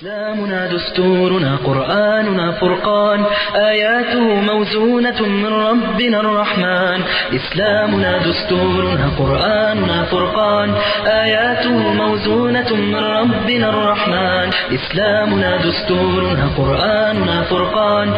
إسلامنا دستورنا قرآننا فرقان آياته موزونة من ربنا الرحمن إسلامنا دستورنا قرآننا فرقان آياته موزونة من ربنا الرحمن إسلامنا دستورنا قرآننا فرقان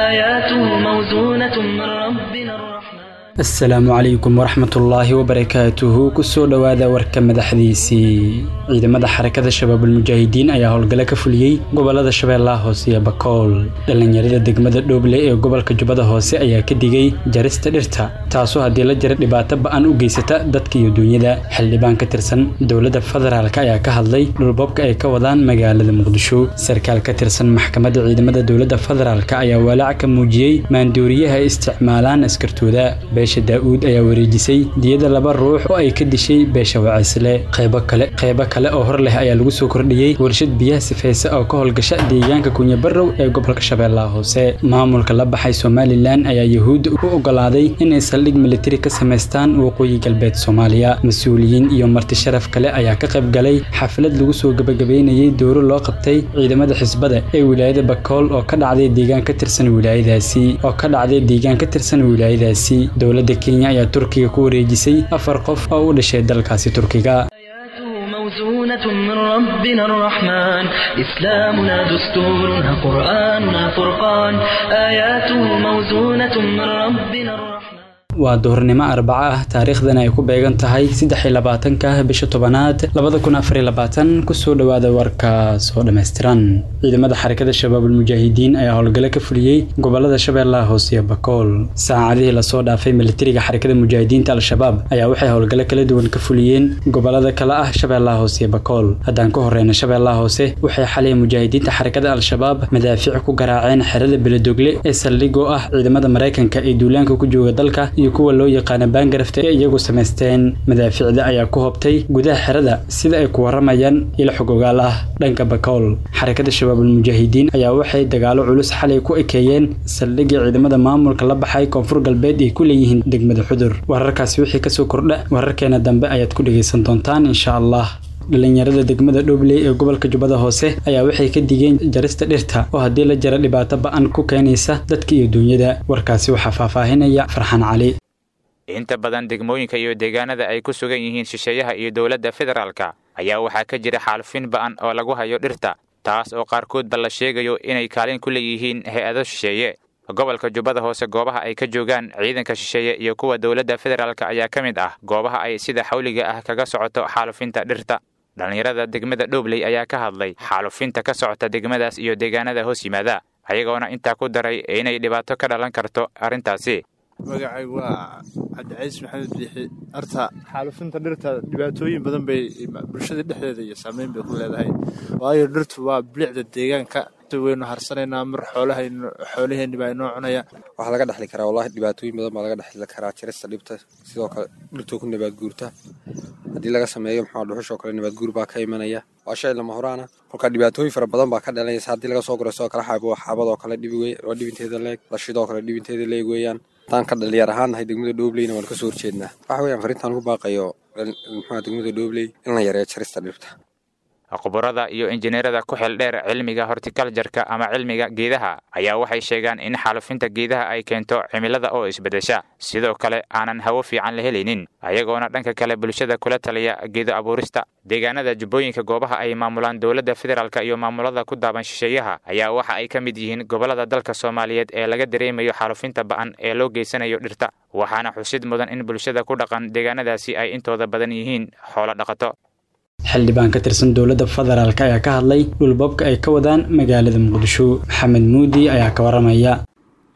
آياته موزونة من ربنا الرحمن. Asalaamu calaykum waraxmatullaahi wabarakaatuhu. Kusoo dhowaada warka madaxdiisii. Ciidamada Xarakada Shabaabulmujaahidiin ayaa howlgalo ka fuliyey gobolada Shabeellaha Hoose iyo Bakool. Dhallinyarada degmada Dhooble ee gobolka Jubbada Hoose ayaa ka digay jarista dhirta, taasoo haddii la jara dhibaato ba-an u geysata dadka iyo duunyada. Xildhibaan ka tirsan dowladda federaalk ayaa ka hadlay dhulboobka ay ka wadaan magaalada Muqdisho. Sarkaal ka tirsan maxkamadda ciidamada dowladda federaalk ayaa walaac ka muujiyey maanduuriyaha ay isticmaalaan askartooda. Beesha Daa'uud ayaa wareejisay diyada laba ruux oo ay ka dishay beesha Wacisle. Qeybo kale oo hor leh ayaa lagu soo kordhiyey warshad biyaha sifeysa oo ka howlgasha deegaanka Kunyabarow ee gobolka Shabeellaha Hoose. Maamulka la baxay Somalilan ayaa Yahuudda u ogolaaday inay saldhig militari ka samaystaan waqooyi galbeed Soomaaliya. Mas-uuliyiin iyo marti sharaf kale ayaa ka qayb galay xaflad lagu soo gabagabeynayay dooro loo qabtay ciidamada xisbada ee wilaayada Bakool oo ka dhacday deegaan ka tirsan wilaayadaasi. Dowladda Kenya ayaa Turkiga ku wareejisay 4 qof oo u dhashay dalkaasi Turkiga. موزونة من ربنا الرحمن إسلامنا دستورنا قرآننا فرقان آياته موزونة من ربنا الرحمن. Waa duhurnimo Arbaco ah, taariikhdana ay ku beegan tahay 23-ka bisha 10aad 2024. Kusoo dhowaada warkaas oo dhammaystiran. Ciidamada Xarakada Shabaabulmujaahidiin ayaa howlgalo ka fuliyey gobolada Shabeellaha Hoose iyo Bakool. Saacadihii lasoo dhaafay, militariga Xarakada Mujaahidiinta Al-Shabaab ayaa waxay howlgalo kala duwan ka fuliyeen gobolada kale ah Shabeellaha Hoose iyo Bakool. Haddaan ka horeyna Shabeellaha Hoose, waxay xalay mujaahidiinta Xarakada Al-Shabaab madaafiic ku garaaceen xerada Beledogle ee saldhigoo ah ciidamada Maraykanka ee duulaanka ku jooga dalka iyo kuwa loo yaqaana Baangarafta ee iyagu samaysteen. Madaafiicda ayaa ku hobtay gudaha xerada, sida ay ku waramayaan ilo xog ogaal ah. Dhanka Bakool, Xarakada Shabaabulmujaahidiin ayaa waxay dagaalo culus xalay ku ekeeyeen saldhigii ciidamada maamulka la baxay Koonfur Galbeed ay ku leeyihiin degmada Xudur. Wararkaasi wixii kasoo kordha wararkeena dambe ayaad ku dhegeysan doontaan insha Allah. Dhalinyarada degmada Dhobley ee gobolka Jubbada Hoose ayaa waxay ka digeen jarista dhirta oo haddii la jara dhibaato ba-an ku keenaysa dadka iyo duunyada. Warkaasi waxaa faahfaahinaya Farxaan Cali. Inta badan degmooyinka iyo deegaanada ay ku sugan yihiin shisheeyaha iyo dowladda federaalka ayaa waxaa ka jira xaalufin ba'an oo lagu hayo dhirta, taas oo qaarkoodba la sheegayo inay kaalin ku leeyihiin hay-ado shisheeye. Gobolka Jubbada Hoose, goobaha ay ka joogaan ciidanka shisheeye iyo kuwa dowladda federaalka ayaa ka mid ah goobaha ay sida xawliga ah kaga socoto xaalufinta dhirta. Dhallinyarada degmada Dhobley ayaa ka hadlay xaalufinta ka socota degmadaas iyo deegaanada hoos yimaada, ayagoona intaa ku daray inay dhibaato ka dhalan karto arrintaasi. Magacaygu waa Cabdicaiis Maxamed Biixi. Horta xaalufinta dhirta dhibaatooyin badan bay bulshada dhexdeeda iyo saameyn bay ku leedahay, waayo dhirtu waa bilicda deegaanka. Waynu harsanaynaa, mar xoolaheenni baa inoo cunaya. Waxaa laga dhexli karaa, wallahi dhibaatooyin badan baa laga dhexli karaa jarista dhibta. Sidoo kale dhirtoo ku nabaad guurta haddii laga sameeyo maxaa dhuxushoo kale, nabaad guur baa ka imanaya. Waa shay lama horaana, kolkaa dhibaatooyin fara badan baa ka dhalanaysa haddii laga soo guro. Sidoo kale xaabo xaabadoo kale dhibi waa dhibinteeda leeg, lashidoo kale dhibinteeda leeg weeyaan. Haddaan ka dhalinyar ahaan nahay degmada Dhoobleyna waan kasoo horjeednaa. Waxa weeyaan fariintaan ugu baaqayo muxua degmada Dhoobley in la yareeyo jarista dhirta. Khubarada iyo injineerada ku xil dheer cilmiga hortikaljarka ama cilmiga geedaha ayaa waxay sheegaan in xaalufinta geedaha ay keento cimilada oo isbeddesha, sidoo kale aanan hawo fiican la helaynin, ayagoona dhanka kale bulshada kula taliya geedo abuurista. Deegaanada Jubbooyinka, goobaha ay maamulaan dowladda federaalka iyo maamulada ku daaban shisheeyaha ayaa waxa ay ka mid yihiin gobolada dalka Soomaaliyeed ee laga dareemayo xaalufinta ba'an ee loo geysanayo dhirta, waxaana xusid mudan in bulshada ku dhaqan deegaanadaasi ay intooda badan yihiin xoolo dhaqato. Xildhibaan ka tirsan dowladda federaalk ayaa ka hadlay dhulboobka ay ka wadaan magaalada Muqdisho. Maxamed Muudi ayaa ka waramaya.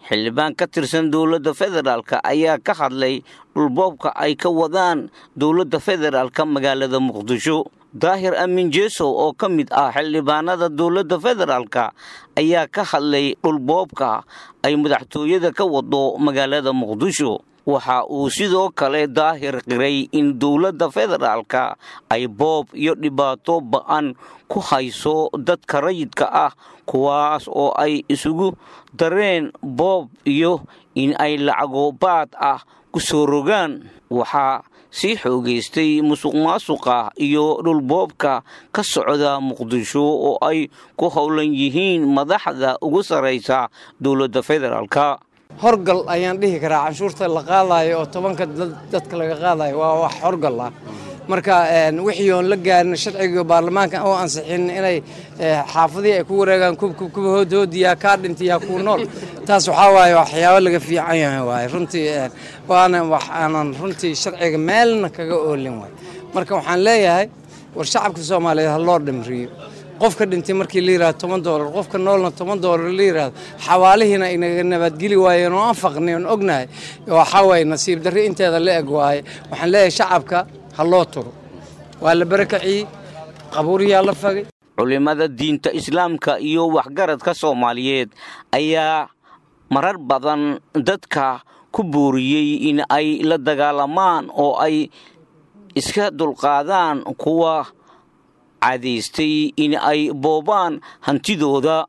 Xildhibaan ka tirsan dowladda federaalka ayaa ka hadlay dhulboobka ay ka wadaan dowladda federaalka magaalada Muqdisho. Daahir Aamin Jeesow oo ka mid ah xildhibaanada dowladda federaalka ayaa ka hadlay dhulboobka ay madaxtooyada ka wado magaalada Muqdisho. Waxa uu sidoo kale Daahir qiray in dowladda federaalka ay boob iyo dhibaato ba'an ku hayso dadka rayidka ah, kuwaas oo ay isugu dareen boob iyo in ay lacago baad ah ku soo rogaan. Waxaa sii xoogaystay musuqmaasuqa iyo dhulboobka ka socda Muqdisho oo ay ku howlan yihiin madaxda ugu sarraysa dowladda federaalka. Horgal ayaan dhihi karaa canshuurta la qaadayo oo 10-ka dadka laga qaadayo waa wax horgal ah. Marka wixii oon la gaarin sharciga baarlamaanka oo ansixin inay xaafadihii ay ku wareegaan kubkub hoodhoodiyaa kaa dhintiyaa kuu nool, taas waxaa waaye waxyaabo laga fiican yahay waaye runtii, waana wax aanan runtii sharciga meelna kaga oolin waay. Marka waxaan leeyahay war shacabka Soomaaliyeed ha loo dhimriyo. Qofka dhintay markii la yidhahdo $10, qofka noolna $10 la yidhahdo, xawaalihiina inaga nabadgeli waayeen oo aan faqnay oon ognahay, waxaa waaye nasiib darri inteeda la eg waaye. Waxaan leeyahay shacabka ha loo turo, waa la barakaciyey, qabuuriyaa la fagay. Culimada diinta islaamka iyo waxgaradka Soomaaliyeed ayaa marar badan dadka ku booriyey in ay la dagaalamaan oo ay iska dulqaadaan kuwa cadaystay in ay boobaan hantidooda.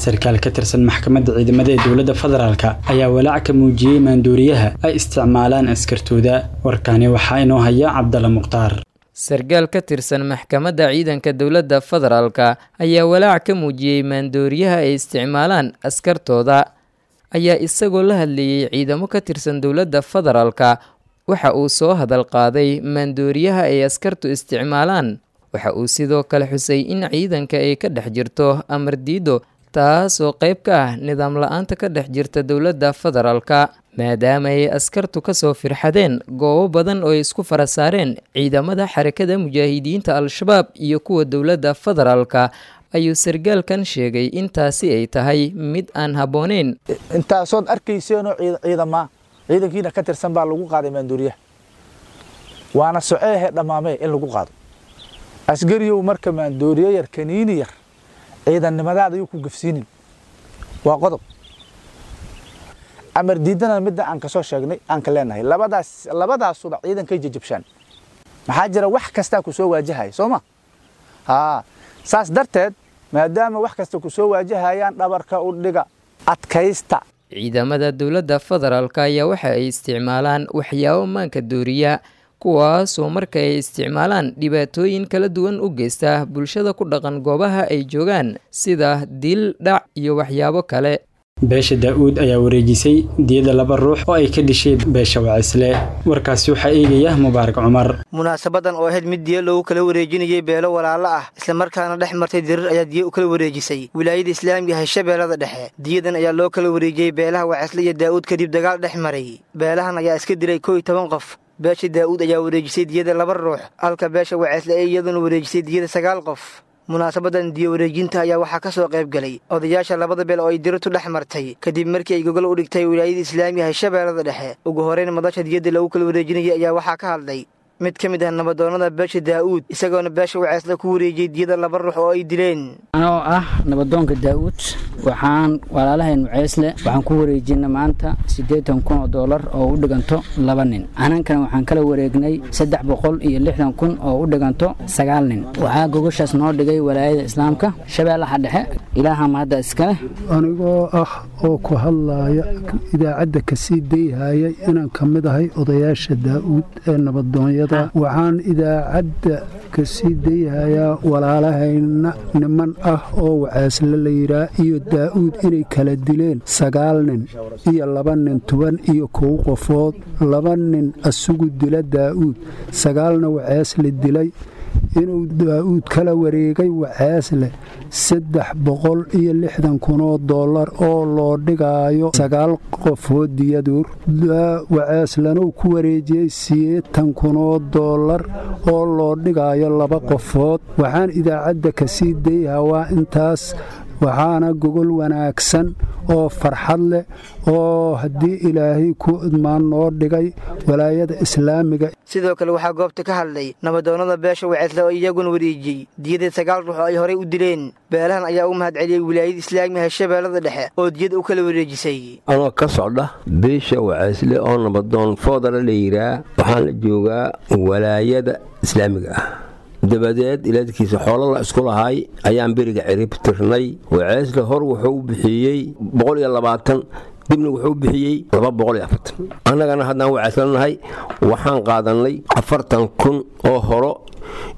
Sarkaal ka tirsan maxkamadda ciidamada ee dowladda federaalka ayaa walaac ka muujiyey maanduuriyaha ay isticmaalaan askartooda. Warkaani waxaa inoo haya Cabdalla Mukhtaar. Sarkaal ka tirsan maxkamadda ciidanka dowladda federaalka ayaa walaac ka muujiyey maandooriyaha ay isticmaalaan askartooda, ayaa isagoo la hadlayey ciidamo ka tirsan dowladda federaalka waxa uu soo hadal qaaday maandooriyaha ay askartu isticmaalaan. Waxa uu sidoo kale xusay in ciidanka ay ka dhex jirto amar diido, taasoo qayb ka ah nidaam la-aanta ka dhex jirta dowladda federaalka, maadaama ay askartu kasoo firxadeen goobo badan oo ay isku fara saareen ciidamada Xarakada Mujaahidiinta Al-Shabaab iyo kuwa dowladda federaalka. Ayuu sargaalkan sheegay in taasi ay tahay mid aan habbooneyn. Intaasood arkayseenoo ciidamaa ciidankiina ka tirsan baa lagu qaaday maanduuriyaha, waana soceehe dhammaamee in lagu qaado asgariyow. Marka maandooriye yar, kaniini yar, ciidannimadaada yuu ku gafsiinin, waa qodob. Amar diidana midda aan kasoo sheegnay aan ka leenahay, labadaas labadaasuba ciidankay jajabshaan. Maxaa jira? Wax kastaa ku soo waajahaya, soo ma haa? Saas darteed, maadaama wax kasta ku soo waajahayaan, dhabarka u dhiga, adkaysta. Ciidamada dowladda federaalka ayaa waxa ay isticmaalaan waxyaabo maanka dooriya, kuwaasoo marka ay isticmaalaan dhibaatooyin kala duwan u geysta bulshada ku dhaqan goobaha ay joogaan, sida dil, dhac iyo waxyaabo kale. Beesha Daa'uud ayaa wareejisay diyada laba ruux oo ay ka dishay beesha Wacisle. Warkaasi waxaa eegaya Mubaarak Cumar. Munaasabadan oo ahayd mid diyo loogu kala wareejinayay beelo walaalo ah islamarkaana dhex martay dirir ayaa diyo u kala wareejisay wilaayada islaamiga Hirshabeellada Dhexe. Diyadan ayaa loo kala wareejiyey beelaha Wacisle iyo Daa'uud kadib dagaal dhex maray. Beelahan ayaa iska dilay 11 qof. Beesha Daa'uud ayaa wareejisay diyada laba ruux, halka beesha Wacisle ay iyaduna wareejisay diyada 9 qof. Munaasabadan diyo wareejinta ayaa waxaa ka soo qayb galay odayaasha labada beel oo ay dirirtu dhex martay kadib markii ay gogol u dhigtay wilaayada islaamiga Hirshabeellada Dhexe. Ugu horeyn, madasha diyadda lagu kala wareejinayay ayaa waxaa ka hadlay mid ka mid ah nabadoonnada beesha Daa'uud, isagoona beesha Waceesle ku wareejiyey diyada laba ruux oo ay dileen. Anoo ah nabadoonka Daa'uud, waxaan walaalahayn Waceesle waxaan ku wareejinay maanta $80,000 oo u dhiganto laba nin. Anankana waxaan kala wareegnay 360,000 oo u dhiganto 9 nin. Waxaa gogoshaas noo dhigay walaayada islaamka Shabeellaha Dhexe. Ilaaha mahadda iskale. Anigoo ah oo ku hadlaaya idaacadda kasii dayhaya inaan ka mid ahay odayaasha Daa'uud ee nabadoonyada, waxaan idaacadda ka sii dayhayaa walaalahayna niman ah oo Waceesle la yidhaah iyo Daa'uud inay kala dileen 9 nin iyo 2 nin, 11 qofood. 2 nin asugu dila Daa'uud, 9na Waceesle dilay, inuu Daa'uud kala wareegay Waceesle $360,000 oo loo dhigaayo 9 qofood diyaduur. Waceeslanuu ku wareejiyey $80,000 oo loo dhigaayo 2 qofood. Waxaan idaacadda kasii dayhaa waa intaas. Waxaana gogol wanaagsan oo farxad leh oo haddii Ilaahay ku idmaan noo dhigay walaayada islaamiga. Sidoo kale waxaa goobta ka hadlay nabadoonnada beesha Waceesle oo iyaguna wareejiyey diyada 9 ruux oo ay horey u dileen. Beelahan ayaa u mahad celiyey wilaayada islaamiga Hirshabeellada Dhexe oo diyada u kala wareejisay. Anoo ka socda beesha Waceesle oo nabadoon Foodala la yiraa, waxaan la joogaa walaayada islaamiga ah. Dabadeed ilaadkiisa xoolo la isku lahay ayaan beriga cirib tirnay. Waceesle hor wuxuu u bixiyey 120 Dibna wuxuu bixiyey 240. Annagana haddaan wacayslanahay waxaan qaadannay 40,000 oo horo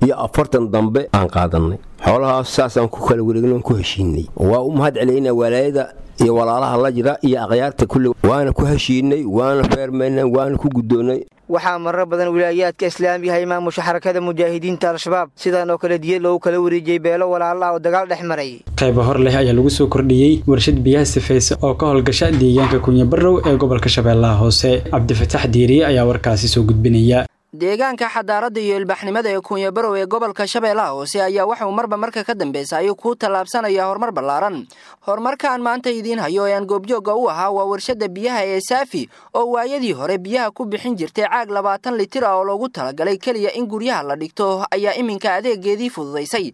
iyo 40 dambe aan qaadannay. Xoolahaas saasaan ku kala wareegno, ku heshiinay. Waa u mahad celaynaa walaayada iyo walaalaha la jira iyo akhyaarta kulli. Waana ku heshiinay, waana feermaynay, waana ku guddoonnay. Waxaa marar badan wilaayaadka islaamiga ay maamusha Xarakada Mujaahidiinta Al-Shabaab sidaan oo kale diya loogu kala wareejiyey beelo walaala ah oo dagaal dhex maray. Qaybo hor leh ayaa lagu soo kordhiyey warshad biyaha sifaysa oo ka howlgasha deegaanka Kunyabarow ee gobolka Shabeellaha Hoose. Cabdifataax Diiriye ayaa warkaasi soo gudbinaya. Deegaanka xadaaradda iyo ilbaxnimada ee Kunyabarow ee gobolka Shabeellaha Hoose ayaa waxauu marba marka ka dambeysa ayuu ku tallaabsanaya horumar ballaaran. Horumarkaan maanta idiin hayo ee aan goobjoogga u ahaa waa warshadda biyaha ee Saafi, oo waayadii hore biyaha ku bixin jirtay caag 20 litir ah oo loogu talagalay keliya in guryaha la dhigto, ayaa iminka adeegeedii fududaysay,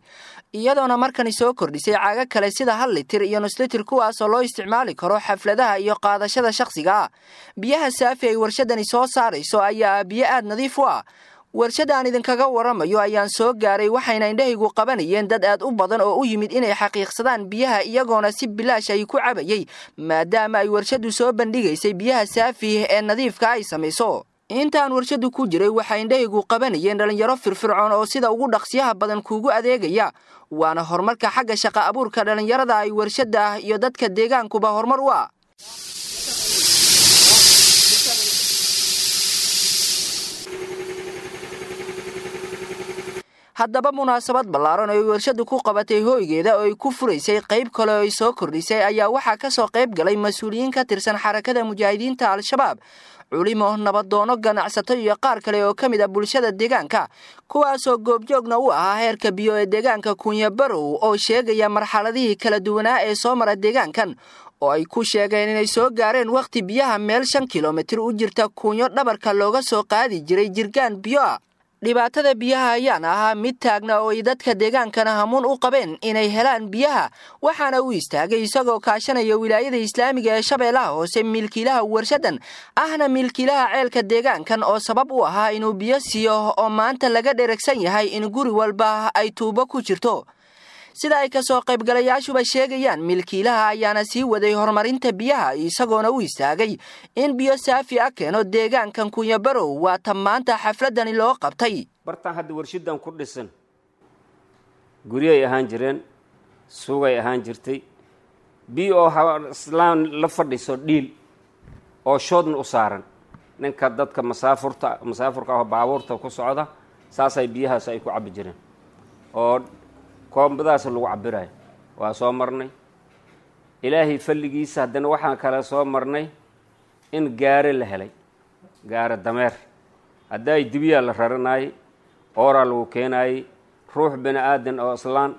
iyadoona markani soo kordhisay caaga kale sida 1 litir iyo nus litir, kuwaasoo loo isticmaali karo xafladaha iyo qaadashada shakhsiga ah. Biyaha Saafi ay warshadani soo saarayso ayaa biyo aad nadiif u ah. Warshadda aan idinkaga waramayo ayaan soo gaaray, waxayna indhahaygu qabanayeen dad aad u badan oo u yimid inay xaqiiqsadaan biyaha, iyagoona si bilaash ay ku cabayay, maadaama ay warshaddu soo bandhigaysay biyaha Saafi ee nadiifka ay samayso. Intaan warshaddu ku jiray waxaa indhahaygu qabanayeen dhallinyaro firfircoon oo sida ugu dhaqsiyaha badan kuugu adeegaya, waana horumarka xagga shaqa abuurka dhallinyarada ay warshadda iyo dadka deegaankuba horumar u ah. Haddaba munaasabad ballaaran oo ay warshaddu ku qabatay hooygeeda oo ay ku furaysay qayb kale oo ay soo kordhisay ayaa waxaa ka soo qayb galay mas-uuliyiin ka tirsan Xarakada Mujaahidiinta Al-Shabaab, culimo, nabadoono, ganacsato iyo qaar kale oo ka mid ah bulshada deegaanka, kuwaasoo goobjoogna u ahaa heerka biyo ee deegaanka Kunyabarow, oo sheegaya marxaladihii kala duwanaa ee soo mara deegaankan, oo ay ku sheegeen inay soo gaareen wakhti biyaha meel 5 kilomitir u jirta Kunyo dhabarka looga soo qaadi jiray jirgaan biyo ah. Dhibaatada biyaha ayaan ahaa mid taagna oo ay dadka deegaankana hamuun u qabeen inay helaan biyaha, waxaana u istaagay isagoo kaashanaya wilaayada islaamiga ee Shabeellaha Hoose milkiilaha warshaddan ahna milkiilaha ceelka deegaankan, oo sabab u ahaa inuu biyo siiyo oo maanta laga dheregsan yahay in guri walba ay tuubo ku jirto. Sida ay kasoo qaybgalayaashuba sheegayaan, milkiilaha ayaana sii waday horumarinta biyaha, isagoona u istaagay in biyo saafi ah keeno deegaankan Kunyabarow. Waa tan maanta xafladani loo qabtay. Bartaan hadda warshadan ku dhisan guryay ahaan jireen, suugay ahaan jirtay, biyo oo islaan la fadhiso dhiil oo shoodna u saaran ninka dadka masaafurta masaafurka ah oo baabuurta ku socda, saasay biyahaas ay ku cabbi jireen oo koombadaas lagu cabirayo. Waa soo marnay Ilaahay falligiisa. Haddana waxaan kale soo marnay in gaare la helay, gaare dameer haddaay dibiyaa la raranayay, ooraa lagu keenayay. Ruux bini aadan oo islaan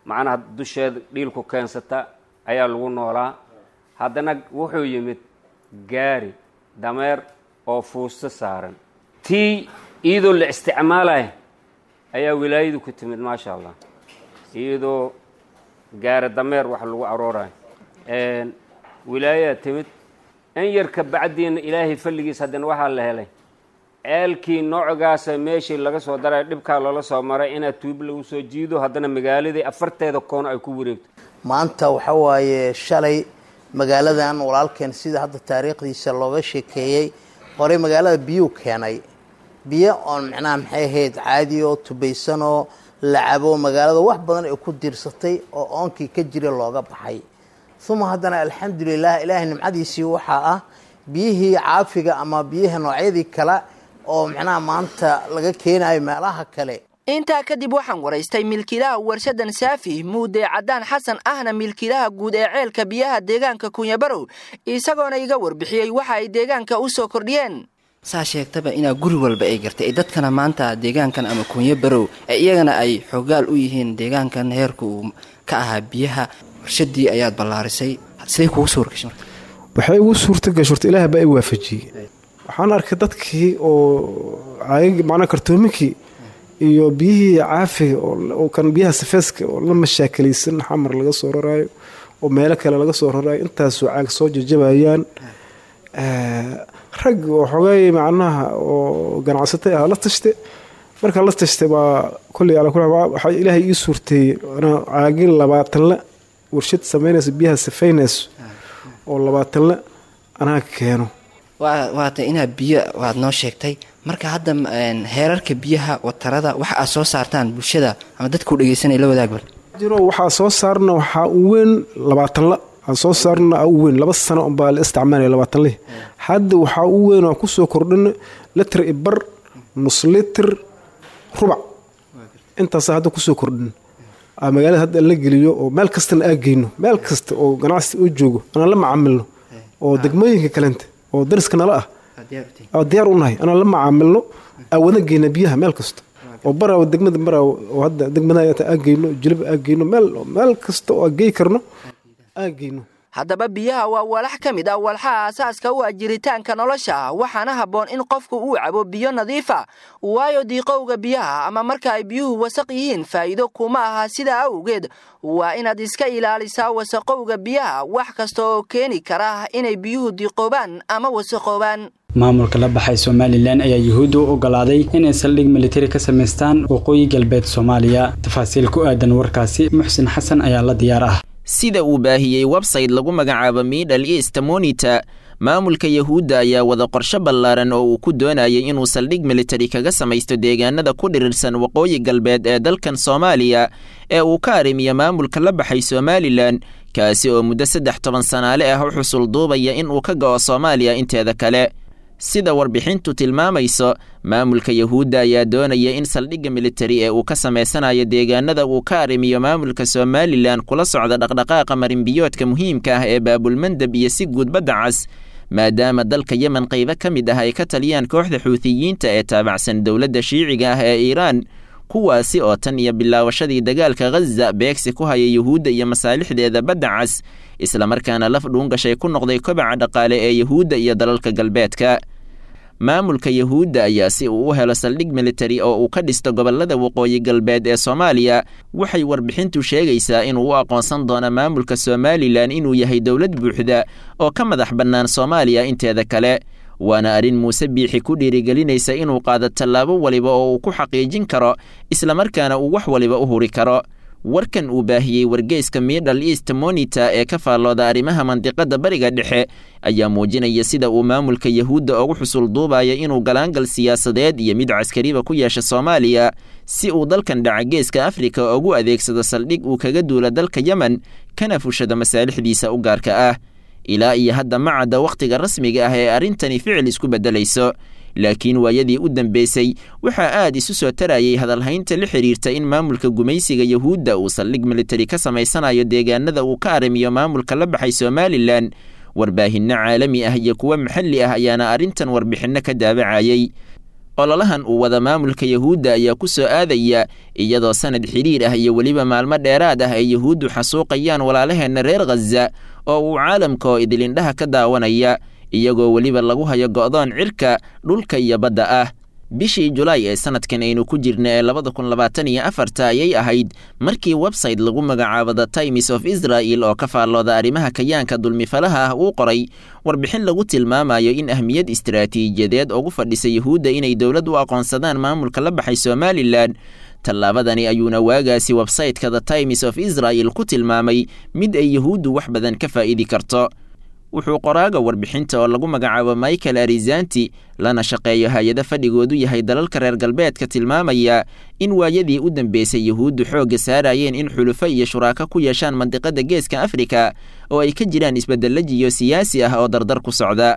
macnaha dusheeda dhiilku keensata ayaa lagu noolaa. Haddana wuxuu yimid gaari dameer oo fuusto saaran, tii iyadoo la isticmaalaya ayaa wilaayadu ku timid, maasha Allah, iyadoo gaari dameer wax lagu aroorayo wilaayadaa timid. In yar ka bacdiina Ilaahay falligiis haddana waxaa la helay ceelkii noocgaasa meeshii laga soo daray dhibkaa loola soo maray inaad tuub lagu soo jiido, haddana magaaladii afarteeda koon ay ku wareegto. Maanta waxa waaye shalay magaaladan walaalkeen sida hadda taariikhdiisa looga sheekeeyey, horey magaalada biyuu keenay, biyo oon micnaha maxay ahayd caadi oo tubaysanoo la cabo, magaalada wax badan ay ku diirsatay oo oonkii ka jira looga baxay. Uma haddana alxamdulilah, Ilaahay nimcadiisii waxaa ah biyihii caafiga ama biyaha noocyadii kale oo micnaha maanta laga keenayo meelaha kale. Intaa kadib waxaan waraystay milkiilaha warshadan Saafi, Muude Cadaan Xasan, ahna milkiilaha guud ee ceelka biyaha deegaanka Kunyabarow, isagoona iga warbixiyey waxa ay deegaanka u soo kordhiyeen. Saa sheegtaba inaa guri walba ay gartay dadkana maanta deegaankan ama Kunyabarow iyagana ay xogaal u yihiin deegaankan heerka uu ka ahaa biyaha. Warshadii ayaad ballaarisay, sidee kugu suurgashay marka? Waxay ugu suurta gashay horta Ilaah baa i waafajiyey. Waxaan arkay dadkii oo caagag macnaa kartoominkii iyo biyihii caafiga oo kan biyaha safeeska oo la mashaakilaysan, Xamar laga soo raraayo oo meelo kale laga soo raraayo, intaasoo caag soo jajabayaan. Rag oo xogay macnaha oo ganacsatay ah la tashtay. Marka la tashtay baa kolley ala kula waxaa Ilaahay ii suurteeyey anaa caagin 20 la warshad samaynayso biyaha safaynayso oo 20 la Anaa keeno. Waata inaa biyo waad noo sheegtay. Marka hadda heerarka biyaha, watarada, waxa aad soo saartaan bulshada ama dadkuu dhegeysanaya la wadaag bal. Jiro waxaa soo saarna, waxaa u weyn 20 la aan soo saarna u weyn. 2 sano unbaa la isticmaalaya 20 lihi. Hadda waxaa u weyn oo kusoo kordhina litir i bar, nus litir, rubac. Intaasa hadda kusoo kordhin magaalada hadda la geliyo oo meel kastana aa geyno, meel kasta oo ganacsi u joogo anaan la macaamilno, oo degmooyinka kalenta oo dariska nala ah diyaar u nahay anaan la macaamilno, aa wada geyna biyaha meel kasta oo Baraawo, degmada Baraawo oo hadda degmada aa geyno, Jilib aa geyno, meel kasta oo aa gey karno aa geyno. Haddaba biyaha waa walax ka mid ah walxaha asaaska u ah jiritaanka nolosha, waxaana habboon in qofku uu cabo biyo nadiifa, waayo diiqowga biyaha ama marka ay biyuhu wasaq yihiin faa'iido kuma aha. Sidaa awgeed waa inaad iska ilaalisaa wasaqowga biyaha, wax kasta oo keeni kara inay biyuhu diiqoobaan ama wasaqoobaan. Maamulka la baxay Somalilan ayaa Yuhuudda u ogolaaday inay saldhig militari ka samaystaan waqooyi galbeed Soomaaliya. Tafaasiil ku aadan warkaasi Muxsin Xasan ayaa la diyaar ah. Sida uu baahiyey website lagu magacaabo Middle East Monitor, maamulka Yahuudda ayaa wada qorshe ballaaran oo uu ku doonayay inuu saldhig militari kaga samaysto deegaanada ku dhirirsan waqooyi galbeed ee dalkan Soomaaliya ee uu ka arrimiyo maamulka la baxay Somalilan, kaasi oo muddo 13 sanaale ah u xusul duubaya in uu ka go'o Soomaaliya inteeda kale. Sida warbixintu tilmaamayso, maamulka Yahuudda ayaa doonaya in saldhigga militari ee uu ka samaysanayo deegaanada uu ka arrimiyo maamulka Somalilan kula socda dhaqdhaqaaqa marinbiyoodka muhiimka ah ee Baabulmandab iyo si guud Badda Cas, maadaama dalka Yemen qaybo ka mid ah ay ka taliyaan kooxda Xuutiyiinta ee taabacsan dowladda Shiiciga ah ee Iiraan, kuwaasi oo tan iyo bilaawashadii dagaalka Ghaza beegsi ku haya Yuhuudda iyo masaalixdeeda Badda Cas, islamarkaana laf dhuungashay ku noqday kobaca dhaqaale ee Yuhuudda iyo dalalka galbeedka. Maamulka Yahuudda ayaa si uu u helo saldhig militari oo uu ka dhisto gobollada waqooyi galbeed ee Soomaaliya, waxay warbixintu sheegaysaa inuu u aqoonsan doono maamulka Somalilan inuu yahay dowlad buuxda oo ka madax bannaan Soomaaliya inteeda kale. Waana arrin Muuse Biixi ku dhiirigelinaysa inuu qaado tallaabo waliba oo uu ku xaqiijin karo, islamarkaana uu wax waliba u huri karo. Warkan uu baahiyey wargeyska Middle East Monitor ee ka faallooda arrimaha mandiqada Bariga Dhexe ayaa muujinaya sida uu maamulka Yahuudda ugu xusul duubaya inuu galaangal siyaasadeed iyo mid caskariba ku yeesha Soomaaliya, si uu dalkan dhaca Geeska Afrika ugu adeegsado saldhig uu kaga duula dalka Yemen kana fushado masaalixdiisa u gaarka ah. Ilaa iyo hadda ma cadda wakhtiga rasmiga ah ee arrintani ficil isku beddelayso, laakiin waayadii u dambeysay waxaa aad isu soo tarayay hadalhaynta la xidhiirta in maamulka gumaysiga Yahuudda uu saldhig militari ka samaysanayo deegaanada uu ka arrimiyo maamulka la baxay Somalilan. Warbaahinno caalami ah iyo kuwo maxalli ah ayaana arrintan warbixinno ka daabacayay. Ololahan uu wada maamulka Yahuudda ayaa ku soo aadaya iyadoo sanad xidhiir ah iyo weliba maalmo dheeraad ah ay Yahuuddu xasuuqayaan walaalaheenna reer Ghaza oo uu caalamka oo idilindhaha ka daawanaya, iyagoo weliba lagu hayo go'doon cirka, dhulka iyo badda ah. Bishii Julaay ee sanadkan aynu ku jirna ee 2024-ta ayay ahayd markii website lagu magacaabo The Times of Israel oo ka faallooda arrimaha kayaanka dulmifalaha ah uu qoray warbixin lagu tilmaamayo in ahmiyad istaraatiijiyadeed ugu fadhisa Yahuudda inay dowlad u aqoonsadaan maamulka la baxay Somalilan. Tallaabadani ayuuna waagaasi website-ka The Times of Israel ku tilmaamay mid ay Yahuuddu wax badan ka faa'idi karto. Wuxuu qoraaga warbixinta oo lagu magacaabo Michael Arizanti, lana shaqeeyo hay-ado fadhigoodu yahay dalalka reer galbeedka, tilmaamaya in waayadii u dambeysay Yahuuddu xoogga saarayeen in xulufo iyo shuraako ku yeeshaan mandiqada Geeska Afrika oo ay ka jiraan isbeddello jiyo siyaasi ah oo dardar ku socda.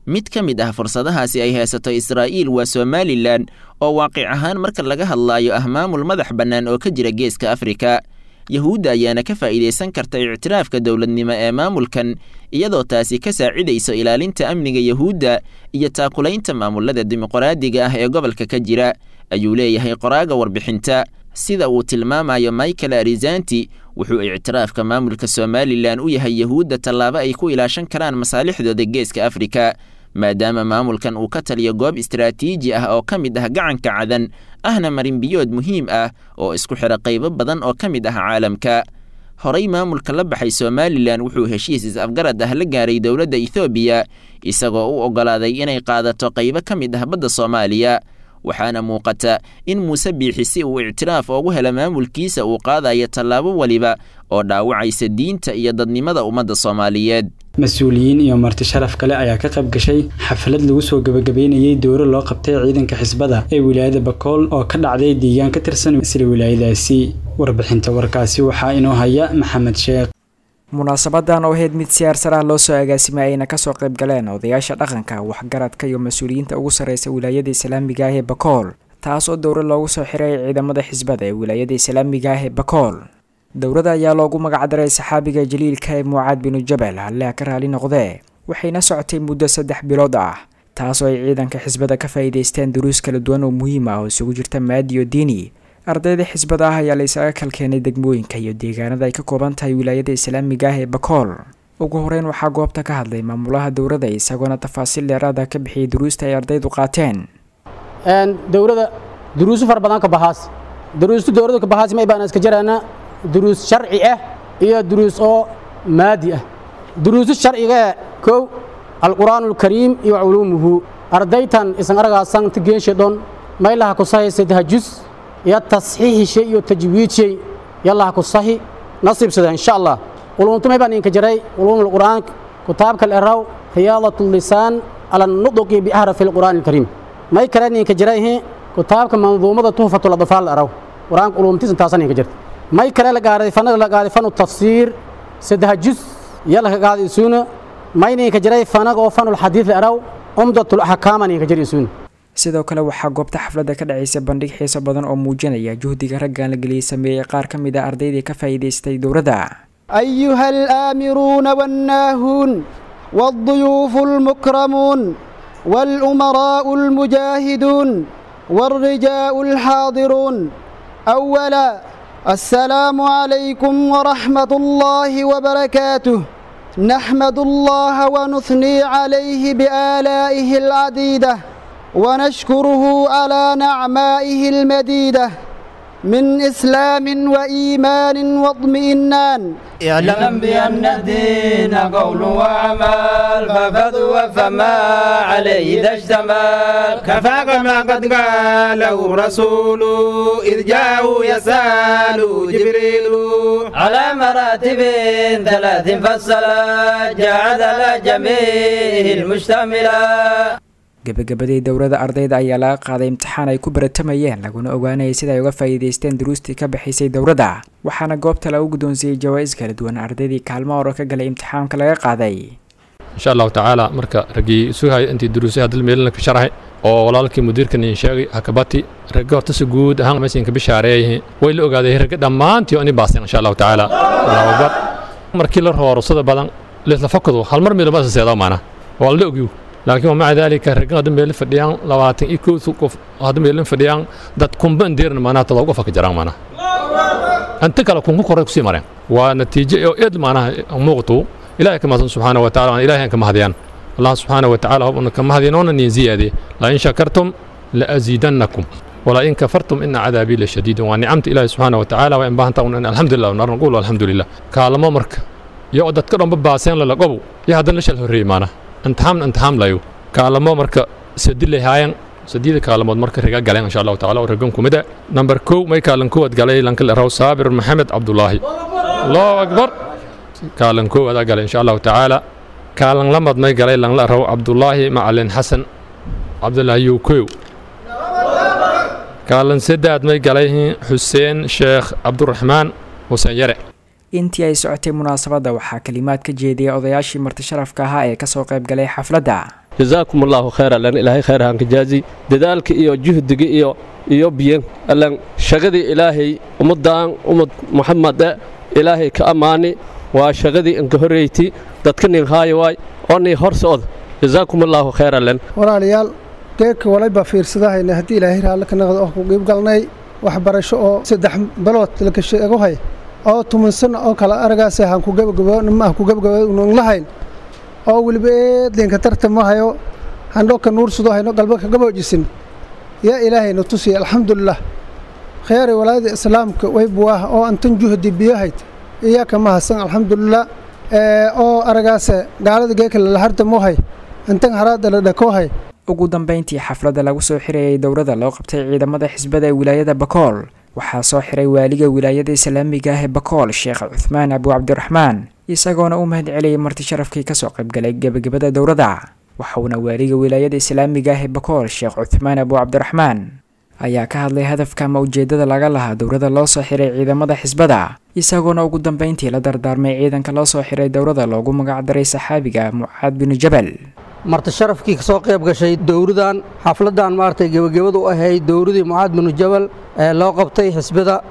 Mid ka mid ah fursadahaasi ay haysato Israa'iil waa Somalilan, oo waaqic ahaan marka laga hadlaayo ah maamul madax bannaan oo ka jira Geeska Afrika. Yahuudda ayaana ka faa'iidaysan karta ictiraafka dowladnimo ee maamulkan, iyadoo taasi ka saacidayso ilaalinta amniga Yahuudda iyo taakulaynta maamulada dimuqraadiga ah ee gobolka ka jira, ayuu leeyahay qoraaga warbixinta. Sida uu tilmaamayo Michael Arizanti, wuxuu ictiraafka maamulka Somalilan u yahay Yahuudda tallaabo ay ku ilaashan karaan masaalixdooda Geeska Afrika, maadaama maamulkan uu ka taliyo goob istaraatiiji ah oo ka mid ah gacanka Cadan, ahna marinbiyood muhiim ah oo isku xidha qaybo badan oo ka mid ah caalamka. Horey maamulka la baxay Somalilan wuxuu heshiis is-afgarad ah la gaaray dowladda Ethoobiya, isagoo u oggolaaday inay qaadato qaybo ka mid ah badda Soomaaliya. Waxaana muuqata in Muuse Biixi si uu ictiraaf ugu helo maamulkiisa uu qaadayo tallaabo waliba oo dhaawacaysa diinta iyo dadnimada ummadda Soomaaliyeed. Mas-uuliyiin iyo marti sharaf kale ayaa ka qayb gashay xaflad lagu soo gabagabeynayay dowro loo qabtay ciidanka xisbada ee wilaayada Bakool oo ka dhacday deegaan ka tirsan isla wilaayadaasi. Warbixinta warkaasi waxaa inoo haya Maxamed Sheekh. Munaasabadan oo ahayd mid siyaar ah loo soo agaasimay ayna kasoo qayb galeen odayaasha dhaqanka, waxgaradka iyo mas-uuliyiinta ugu sarreysa wilaayada islaamiga ah ee Bakool, taas oo dowro loogu soo xiray ciidamada xisbada ee wilaayada islaamiga ah ee Bakool. Dowrada ayaa loogu magacdaray saxaabiga jaliilka ee Mucaad binu Jabal, alle ka raali noqdee, waxayna socotay muddo 3 bilood ah, taas oo ay ciidanka xisbada ka faa'iidaysteen duruus kala duwan oo muhiim ah oo isugu jirta maadi iyo diini. Ardayda xisbada ah ayaa la isaga kalkeenay degmooyinka iyo deegaanada ay ka kooban tahay wilaayada islaamiga ah ee Bakool. Ugu horeyn waxaa goobta ka hadlay maamulaha dowrada, isagoona tafaasiil dheeraad ah ka bixiyay duruusta ay ardaydu qaateen. Dowrada duruusu fara badan ka baxaas, duruustu dowrada ka baxaas may baan iska jiraana duruus sharci ah iyo duruus oo maadi ah. Duruusu sharciga kow alquraanul kariim iyo culuumuhu. Ardaytan isan aragaasan tigeenshe dhon maylaha ku sahay saddex juz iyo tasxiixishay iyo tajwiidshay yallaha ku sahi nasiibsada insha Allah. Culumtu may baan inka jiray culuumul quraan, kitaabka al-raw riyaadatul lisaan ala nudqi bi ahrafi al-quraan al-kariim. May kale ninka jiray kitaabka manzuumada tuhfatul adfaal al-raw quraan culumtiisa taasan inka jirta. May kale la gaaray fanaga la gaaray fanu tafsiir saddex juz yalla ka qaaday suuna. May ninka jiray fanaga oo fanul xadiis al-raw umdatul ahkaam ninka jiray suuna. Sidoo kale waxaa goobta xafladda ka dhacaysa bandhig xiiso badan oo muujinaya juhdiga raggan la geliyey sameeyey qaar ka mid ah ardaydii ka faa'iidaystay dowladda. أيها الآمرون والناهون والضيوف المكرمون والأمراء المجاهدون والرجاء الحاضرون، أولا السلام عليكم ورحمة الله وبركاته. نحمد الله ونثني عليه بآلائه العديدة ونشكره على نعمائه المديدة من إسلام وإيمان واطمئنان. اعلم بأن الدين قول وعمل، ففضل فما عليه إذا اشتمل. كفاك ما قد قاله رسول إذ جاءه يسأل جبريل. على مراتب ثلاث فصلا جعل جميع المشتملا. Gabagabadii dowrada ardayda ayaa laga qaaday imtixaan ay ku baratamayeen laguna ogaanayay sida ay uga faa'iidaysteen duruustii ka bixisay dowrada, waxaana goobta lagu guddoonsiiyey jawaa'is kala duwan ardaydii kaalmo hore ka galay imtixaanka laga qaaday. Insha Allahu tacaala marka raggii sugahaya intii duruusaha dal meelna ka sharaxay oo walaalkii mudiirkan idin sheegay hakabati ragga horta si guud ahaan meeshan ka bishaareeyay way la ogaaday ragga dhammaantii oo inay baaseen insha Allahu tacaala. Allahu akbar. Markii la roorosada badan la fakado hal mar meel ma seedaa maana waa la ogyo, laakiin maca dalika ragga hadda meel fadhiyaan 21 qof hadda meel fadhiyaan dad kumban deerna maana todoba qof ka jiraan maana anta kala kun ku koray ku sii mareen waa natiijo oo eed maana muuqato. Ilaahay kama subhanahu wa ta'ala ilaahay kama hadiyaan Allah subhanahu wa ta'ala hubna kama hadiyaan in ziyaade la in shakartum la azidannakum wala in kafartum inna adabi la shadid. Wa ni'amta ilaahay subhanahu wa ta'ala wa in baahanta in alhamdulillah narqul alhamdulillah kaalmo marka iyo dadka dhanba baaseen la qabo iyo hadan la shal horreey maana intixaam layo kaalmo marka sadilay haayeen sadiida kaalmood marka riga galeen insha Allah taala oo rigan kumida number 2 may kaalan koowad galay lanka la raw Saabir Maxamed Abdullahi. Allahu akbar. Kaalan koowad galay insha Allah taala. Kaalan lamad may galay lan la raw Abdullahi Macalin Xasan Abdullahi Yukow. Kaalan saddeed may galay Xuseen Sheekh Abdurrahmaan Xuseen Yare. Intii ay socotay munaasabadda waxaa kalimaad ka jeediyay odayaashii marti sharafka ahaa ee kasoo qayb galay xafladda. Jazaakum allahu khayra lan ilaahay khayr han ka jaazi dadaalka iyo juhdiga iyo biyan allan shaqadii ilaahay ummadan ummad Muhammad ilaahay ka amaani waa shaqadii inka horeeytay dadka nin haayo waay oo nin hor socod. Jazaakum allahu khayra lan. Walaalayaal geedka walayba fiirsadahayna haddii ilaahay raalli ka noqdo oo ku qayb galnay waxbarasho oo 3 bilood la ka sheego hay oo 10 sano oo kala aragaas aan ku gabagabo lahayn oo waliba eedlinka tartamo hayo handho ka nuursado hayno qalba ka gaboojisin yaa ilaahay na tusiya alxamdulillah. Khayr walaayada islaamka way buwaah oo antan juhdi biyahayd iyaaka mahadsan alxamdulillah oo aragaas gaalada geeka la hartamo hay antan haraada la dhako hay. Ugu dambeyntii xafladda lagu soo xirayay dowrada loo qabtay ciidamada xisbada ee wilaayada Bakool waxaa soo xiray waaliga wilaayada islaamiga ah ee Bakool Sheekh Cuthmaan Abu Cabdiraxmaan, Isagoona u mahad celiyay marti sharafkii kasoo qaybgalay gebagabada dowladda. Waxauna waaliga wilaayada islaamiga ah ee Bakool, Sheekh Cuthmaan Abu Cabdiraxmaan, ayaa ka hadlay hadafka ama ujeedada laga lahaa dowladda loo soo xiray ciidamada xisbada, isagoona ugu dambeyntii la dardaarmay ciidanka loo soo xiray dowladda loogu magacdaray saxaabiga Mucaad binu Jabal. Marti sharafkii kasoo qayb gashay dowladan xafladan maaragtay gebagabadu u ahayd dowladii Mucaad binu Jabal ee loo qabtay xisbada,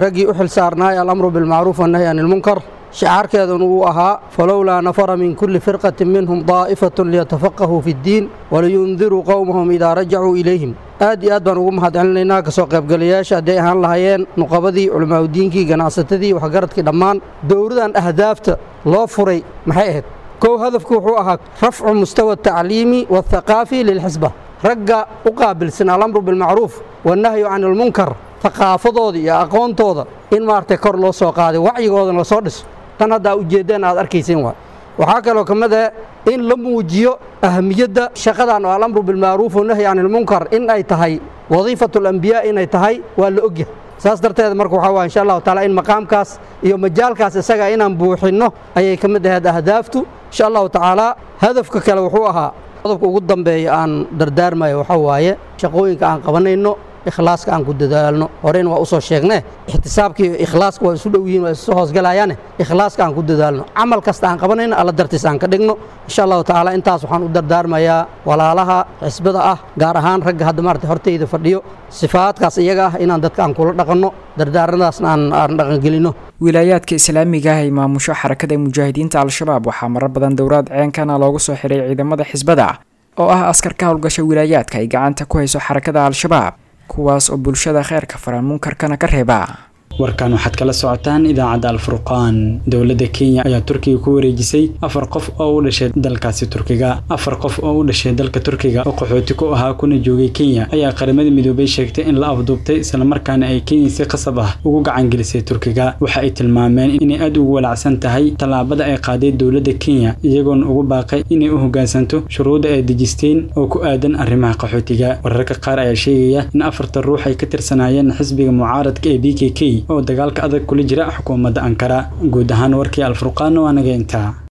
raggii u xil saarnaay alamru bilmacruuf wannahyi can ilmunkar, shicaarkeeduna uu ahaa falowlaa nafara min kulli firqatin minhum daa'ifatun liyatafaqahuu fi ddiin waliyundiruu qowmahum idaa rajacuu ilayhim. Aad iyo aad baan ugu mahad celinaynaa kasoo qaybgalayaasha, hadday ahaan lahaayeen nuqabadii, culamaauddiinkii, ganacsatadii, waxgaradkii dhammaan. Dowladan ahdaafta loo furay maxay ahayd? Kow, hadafku wuxuu ahaa rafcu mustawa atacliimi waathaqaafi lilxisba, ragga u qaabilsan alamru bilmacruuf wannahyu can ilmunkar thaqaafadooda iyo aqoontooda in maaragtay kor loo soo qaaday, wacyigoodana lasoo dhiso. Tan haddaa ujeeddeen aad arkayseen waa waxaa kaloo ka mid ah in la muujiyo ahamiyadda shaqadan oo alamru bilmacruuf wanahyi can ilmunkar in ay tahay wadiifatu alambiyaa inay tahay waa la ogyahay. Saas darteed marka waxaa waa insha Allahu taala in maqaamkaas iyo majaalkaas isaga inaan buuxinno ayay ka mid ahayd ahdaaftu insha Allahu tacaala. Hadafka kale wuxuu ahaa qodobka ugu dambeeya aan dardaarmayo, waxaa waaye shaqooyinka aan qabanayno ikhlaaska aan ku dadaalno. Horeyna waa usoo sheegne, ixtisaabka iyo ikhlaaska waa isu dhow yihiin, waa isu hoosgalayaane. Ikhlaaska aan ku dadaalno, camal kasta aan qabanayno Alla dartiis aan ka dhigno insha Allahu tacaala. Intaas waxaan u dardaarmayaa walaalaha xisbada ah, gaar ahaan ragga hadda maarata hortayda fadhiyo, sifaadkaas iyaga ah inaan dadka aan kula dhaqanno, dardaarnadaasna aan dhaqangelino. Wilaayaadka islaamiga ah ay maamusho Xarakada Mujaahidiinta Al-Shabaab waxaa marar badan dowraad ceenkana loogu soo xiray ciidamada xisbada oo ah askar ka howlgasha wilaayaadka ay gacanta ku hayso Xarakada Al-Shabaab, kuwaas oo bulshada kheyrka fara munkarkana ka reeba. Warkan waxaad kala socotaan idaacadda Alfurqaan. Dowladda Kenya ayaa Turkiga ku wareejisay 4 qof oo u dhashay dalkaasi Turkiga. 4 qof oo u dhashay dalka Turkiga oo qaxooti ku ahaa kuna joogay Kenya ayaa Qaramada Midoobay sheegtay in la afduubtay, islamarkaana ay Kenya si qasab ah ugu gacan gelisay Turkiga. Waxa ay tilmaameen inay aad ugu walacsan tahay tallaabada ay qaaday dowladda Kenya, iyagoona ugu baaqay inay u hoggaansanto shuruudda ay dejisteen oo ku aadan arrimaha qaxootiga. Wararka qaar ayaa sheegaya in 4ta ruux ay ka tirsanaayeen xisbiga mucaaradka ee BKK oo dagaalka adag kula jira xukuumadda Ankara. Guud ahaan warkii Alfurqaan waa naga intaa.